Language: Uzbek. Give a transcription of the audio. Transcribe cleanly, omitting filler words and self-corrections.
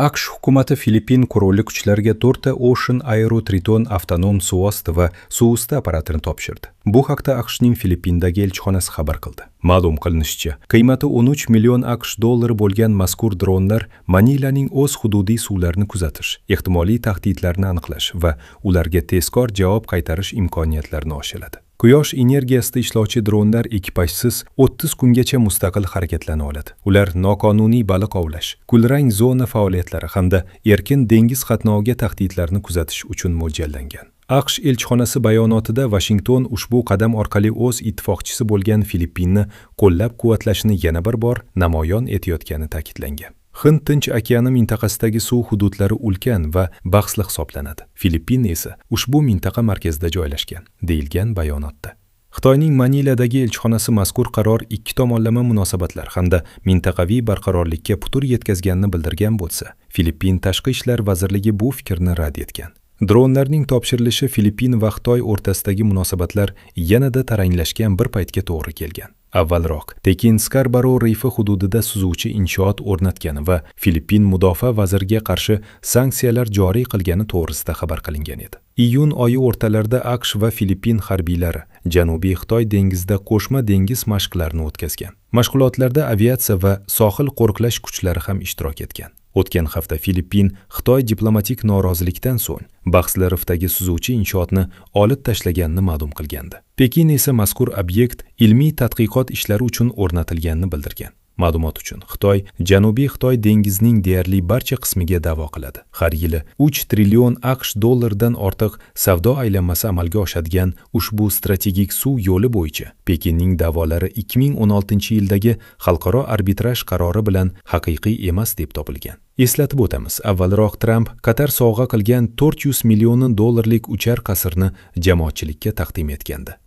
AQSh hukumati Filippin qurolli kuchlariga 4 ta Ocean Aero Triton avtonom suvosti va suvusti apparatini topshirdi. Bu haqda AQShning Filippindagi elchixonasi xabar qildi. Ma'lum qilinishicha, qiymati 13 million AQSh dollari bo'lgan mazkur dronlar Manilaning o'z hududiy suvlarini kuzatish, ehtimoliy tahdidlarni aniqlash va ularga tezkor javob qaytarish imkoniyatlarini oshiradi. Quyosh energiyasida ishlovchi dronlar ekipajsiz 30 kungacha mustaqil harakatlana oladi. Ular noqonuniy baliq ovlash, kulrang zona faoliyatlari hamda erkin dengiz qatnoviga tahdidlarni kuzatish uchun mo'ljallangan. AQSh elchixonasi bayonotida Vashington ushbu qadam orqali o'z ittifoqchisi bo'lgan Filippinni qo'llab-quvvatlashini yana bir bor namoyon etayotgani ta'kidlangan. Hind Tinch okeani mintaqasidagi suv hududlari ulkan va bahsli hisoblanadi. Filippin esa ushbu mintaqa markazida joylashgan, deyilgan bayonotda. Xitoyning Maniladagi elchixonasi mazkur qaror ikki tomonlama munosabatlar hamda mintaqaviy barqarorlikka putur yetkazganini bildirgan bo'lsa, Filippin Tashqi ishlar vazirligi bu fikrni rad etgan. Dronlarning topshirilishi Filippin va Xitoy o'rtasidagi munosabatlar yanada taranglashgan bir paytga to'g'ri kelgan. Avvalroq Pekin Skarbaro rifi hududida suzuvchi inshoot o'rnatgani va Filippin mudofaa vaziriga qarshi sanksiyalar joriy qilgani to'g'risida xabar qilingan edi. Iyun oyi o'rtalarida AQSh va Filippin harbiylari Janubiy Xitoy dengizida qo'shma dengiz mashqlarini o'tkazgan. Mashg'ulotlarda aviatsiya va sohil qo'riqlash kuchlari ham ishtirok etgan. O'tgan hafta Filippin Xitoy diplomatik norozilikdan so'ng bahsli rifdagi suzuvchi inshootni olib tashlaganini ma'lum qilgandi. Pekin esa mazkur obyekt ilmiy tadqiqot ishlari uchun o'rnatilganini bildirgan. Ma'lumot uchun, Xitoy Janubiy Xitoy dengizining deyarli barcha qismiga da'vo qiladi. Har yili 3 trillion AQSh dollaridan ortiq savdo aylanmasi amalga oshadigan ushbu strategik suv yo'li bo'yicha Pekinning da'volari 2016-yildagi xalqaro arbitraj qarori bilan haqiqiy emas deb topilgan. Eslatib o'tamiz, avvalroq Tramp Qatar sovg'a qilgan 400 million dollarlik uchar qasrni jamoatchilikka taqdim etgandi.